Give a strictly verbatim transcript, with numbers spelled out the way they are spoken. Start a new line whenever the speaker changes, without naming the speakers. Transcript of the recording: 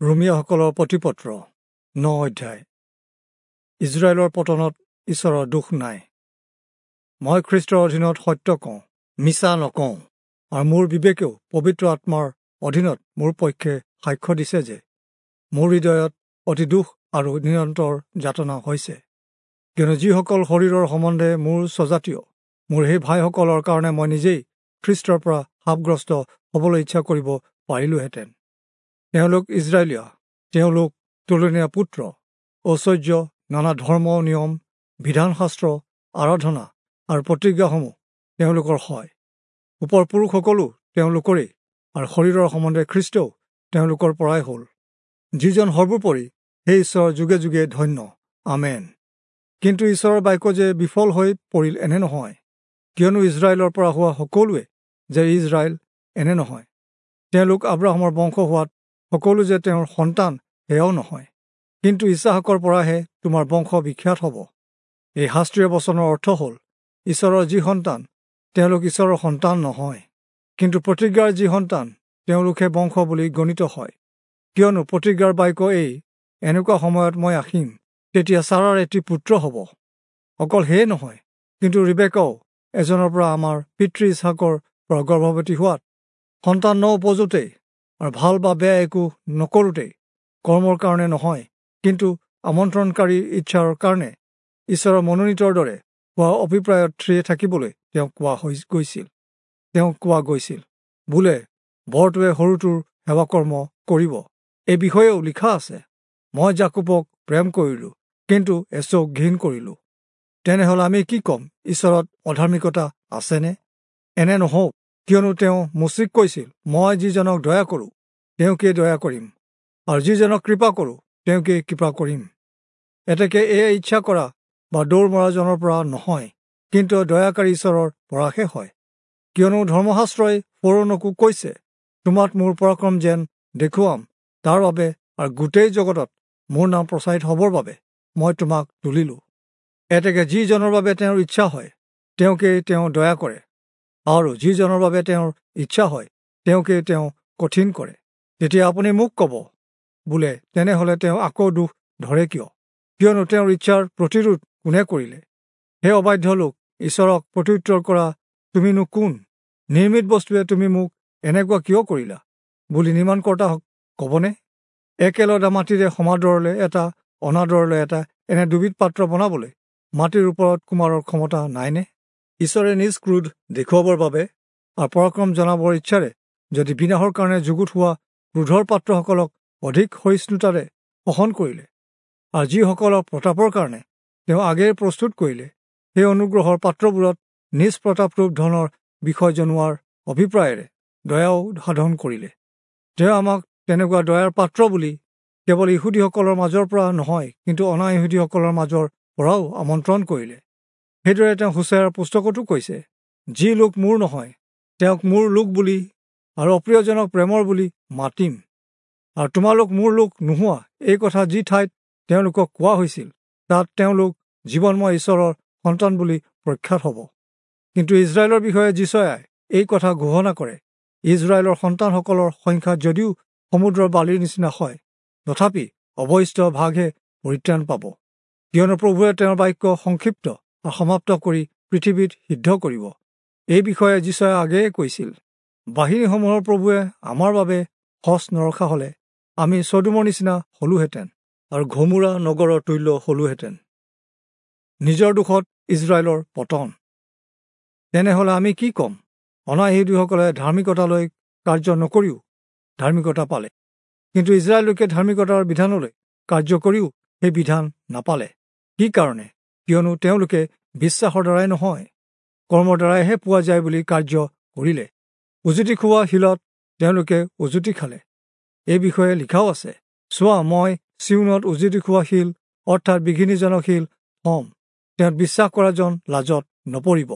ৰোমীয়াসকলৰ প্ৰতিপত্ৰ ন অধ্যায়। ইজৰাইলৰ পতনত ঈশ্বৰৰ দোষ নাই। মই খ্ৰীষ্টৰ অধীনত সত্য কওঁ, মিছা নকওঁ, আৰু মোৰ বিবেকেও পবিত্ৰ আত্মাৰ অধীনত মোৰ পক্ষে সাক্ষ্য দিছে যে মোৰ হৃদয়ত অতি দুখ আৰু নিৰন্তৰ যাতনা হৈছে। কিয়নো যিসকল শৰীৰৰ সম্বন্ধে মোৰ স্বজাতীয়, মোৰ সেই ভাইসকলৰ কাৰণে মই নিজেই খ্ৰীষ্টৰ পৰা শাপগ্ৰস্ত হ'বলৈ ইচ্ছা কৰিব পাৰিলোহেঁতেন। তেওঁলোক ইজৰাইলীয়, তেওঁলোক তুলনীয় পুত্ৰ, ঐশ্বৰ্য, নানা ধৰ্ম নিয়ম, বিধানশাস্ত্ৰ, আৰাধনা আৰু প্ৰতিজ্ঞাসমূহ তেওঁলোকৰ হয়। ওপৰ পুৰুষসকলো তেওঁলোকৰেই, আৰু শৰীৰৰ সম্বন্ধে খ্ৰীষ্টও তেওঁলোকৰ পৰাই হ'ল, যিজন সৰ্বোপৰি সেই ঈশ্বৰ যুগে যুগে ধন্য। আমেন। কিন্তু ঈশ্বৰৰ বাক্য যে বিফল হৈ পৰিল এনে নহয়, কিয়নো ইজৰাইলৰ পৰা হোৱা সকলোৱে যে ইজৰাইল এনে নহয়। তেওঁলোক আব্ৰাহামৰ বংশ হোৱাত সকলো যে তেওঁৰ সন্তান সেয়াও নহয়, কিন্তু ইছাহাকৰ পৰাহে তোমাৰ বংশ বিখ্যাত হ'ব। এই শাস্ত্ৰীয় বচনৰ অৰ্থ হ'ল, ঈশ্বৰৰ যি সন্তান তেওঁলোক ঈশ্বৰৰ সন্তান নহয়, কিন্তু প্ৰতিজ্ঞাৰ যি সন্তান তেওঁলোকহে বংশ বুলি গণিত হয়। কিয়নো প্ৰতিজ্ঞাৰ বাক্য এই, এনেকুৱা সময়ত মই আহিম, তেতিয়া চাৰাৰ এটি পুত্ৰ হ'ব। অকল সেয়ে নহয়, কিন্তু ৰিবেকাও এজনৰ পৰা আমাৰ পিতৃ ইছহাকৰ পৰা গৰ্ভৱতী হোৱাত সন্তান ন উপজোতেই আৰু ভাল বা বেয়া একো নকৰোঁতেই কৰ্মৰ কাৰণে নহয়, কিন্তু আমন্ত্ৰণকাৰীৰ ইচ্ছাৰ কাৰণে ঈশ্বৰৰ মনোনীতৰ দৰে হোৱা অভিপ্ৰায়ত থিৰে থাকিবলৈ তেওঁক কোৱা হৈ গৈছিল তেওঁক কোৱা গৈছিল বোলে, বৰটোৱে সৰুটোৰ সেৱাকৰ্ম কৰিব। এই বিষয়েও লিখা আছে, মই যাকোবক প্ৰেম কৰিলোঁ, কিন্তু এচৌক ঘিণ কৰিলোঁ। তেনেহ'লে আমি কি ক'ম, ঈশ্বৰত অধাৰ্মিকতা আছেনে? এনে নহওক, কিয়নো তেওঁ মোচিক কৈছিল, মই যিজনক দয়া কৰোঁ তেওঁকেই দয়া কৰিম, আৰু যিজনক কৃপা কৰোঁ তেওঁকেই কৃপা কৰিম। এতেকে এয়ে ইচ্ছা কৰা বা দৌৰ মৰাজনৰ পৰা নহয়, কিন্তু দয়াকাৰী ঈশ্বৰৰ পৰাহে হয়। কিয়নো ধৰ্মশাস্ত্ৰই ফৰৌণকো কৈছে, তোমাত মোৰ পৰাক্ৰম যেন দেখুৱাম, তাৰ বাবে আৰু গোটেই জগতত মোৰ নাম প্ৰচাৰিত হ'বৰ বাবে মই তোমাক তুলিলোঁ। এতেকে যিজনৰ বাবে তেওঁৰ ইচ্ছা হয় তেওঁকেই তেওঁ দয়া কৰে, আৰু যিজনৰ বাবে তেওঁৰ ইচ্ছা হয় তেওঁকেই তেওঁ কঠিন কৰে। তেতিয়া আপুনি মোক ক'ব বোলে, তেনেহ'লে তেওঁ আকৌ দোষ ধৰে কিয়? কিয়নো তেওঁৰ ইচ্ছাৰ প্ৰতিৰোধ কোনে কৰিলে? হে অবাধ্য লোক, ঈশ্বৰক প্ৰত্যুত্তৰ কৰা তুমিনো কোন? নিৰ্মিত বস্তুৱে তুমি মোক এনেকুৱা কিয় কৰিলা বুলি নিৰ্মাণকৰ্তা ক'বনে? একেলদা মাটিৰে সমাদৰলৈ এটা, অনাদৰলৈ এটা, এনে দুবিধ পাত্ৰ বনাবলৈ মাটিৰ ওপৰত কুমাৰৰ ক্ষমতা নাইনে? ঈশ্বৰে নিজ ক্ৰোধ দেখুৱাবৰ বাবে আৰু পৰাক্ৰম জনাবৰ ইচ্ছাৰে যদি বিনাশৰ কাৰণে যুগুত হোৱা ক্ৰোধৰ পাত্ৰসকলক অধিক সহিষ্ণুতাৰে সহন কৰিলে, আৰু যিসকলক প্ৰতাপৰ কাৰণে তেওঁ আগেয়ে প্ৰস্তুত কৰিলে, সেই অনুগ্ৰহৰ পাত্ৰবোৰত নিজ প্ৰতাপৰূপ ধনৰ বিষয় জনোৱাৰ অভিপ্ৰায়েৰে দয়াও সাধন কৰিলে। তেওঁ আমাক তেনেকুৱা দয়াৰ পাত্ৰ বুলি কেৱল ইহুদীসকলৰ মাজৰ পৰা নহয়, কিন্তু অনা ইহুদীসকলৰ মাজৰ পৰাও আমন্ত্ৰণ কৰিলে। সেইদৰে তেওঁ হোচেয়াৰ পুস্তকতো কৈছে, যি লোক মোৰ নহয় তেওঁক মোৰ লোক বুলি, আৰু অপ্ৰিয়জনক প্ৰেমৰ বুলি মাতিম। আৰু তোমালোক মোৰ লোক নোহোৱা এই কথা যি ঠাইত তেওঁলোকক কোৱা হৈছিল, তাত তেওঁলোক জীৱনময় ঈশ্বৰৰ সন্তান বুলি প্ৰখ্যাত হ'ব। কিন্তু ইজৰাইলৰ বিষয়ে যিচয়াই এই কথা ঘোষণা কৰে, ইজৰাইলৰ সন্তানসকলৰ সংখ্যা যদিও সমুদ্ৰৰ বালিৰ নিচিনা হয়, তথাপি অৱশিষ্ট ভাগহে পৰিত্ৰাণ পাব। কিয়নো প্ৰভুৱে তেওঁৰ বাক্য সংক্ষিপ্ত আৰু সমাপ্ত কৰি পৃথিৱীত সিদ্ধ কৰিব। এই বিষয়ে যিচয়াই আগেয়ে কৈছিল, বাহিনীসমূহৰ প্ৰভুৱে আমাৰ বাবে সঁচ নৰখা হ'লে আমি চদোমৰ নিচিনা হ'লোহেঁতেন, আৰু ঘমোৰা নগৰৰ তুল্য হ'লোহেঁতেন। নিজৰ দোষত ইজৰাইলৰ পতন। তেনেহ'লে আমি কি ক'ম? অনা ইহুদীসকলে ধাৰ্মিকতালৈ কাৰ্য নকৰিও ধাৰ্মিকতা পালে, কিন্তু ইজৰাইল লোকে ধাৰ্মিকতাৰ বিধানলৈ কাৰ্য কৰিও সেই বিধান নাপালে। কি কাৰণে? কিয়নো তেওঁলোকে বিশ্বাসৰ দ্বাৰাই নহয়, কৰ্মৰ দ্বাৰাইহে পোৱা যায় বুলি কাৰ্য কৰিলে। উজুতি খোৱা শিলত তেওঁলোকে উজুতি খালে। এই বিষয়ে লিখাও আছে, চোৱা, মই চিউনত উজুতি খোৱা শিল, অৰ্থাৎ বিঘিনিজনক শিল থম, তেওঁত বিশ্বাস কৰাজন লাজত নপৰিব।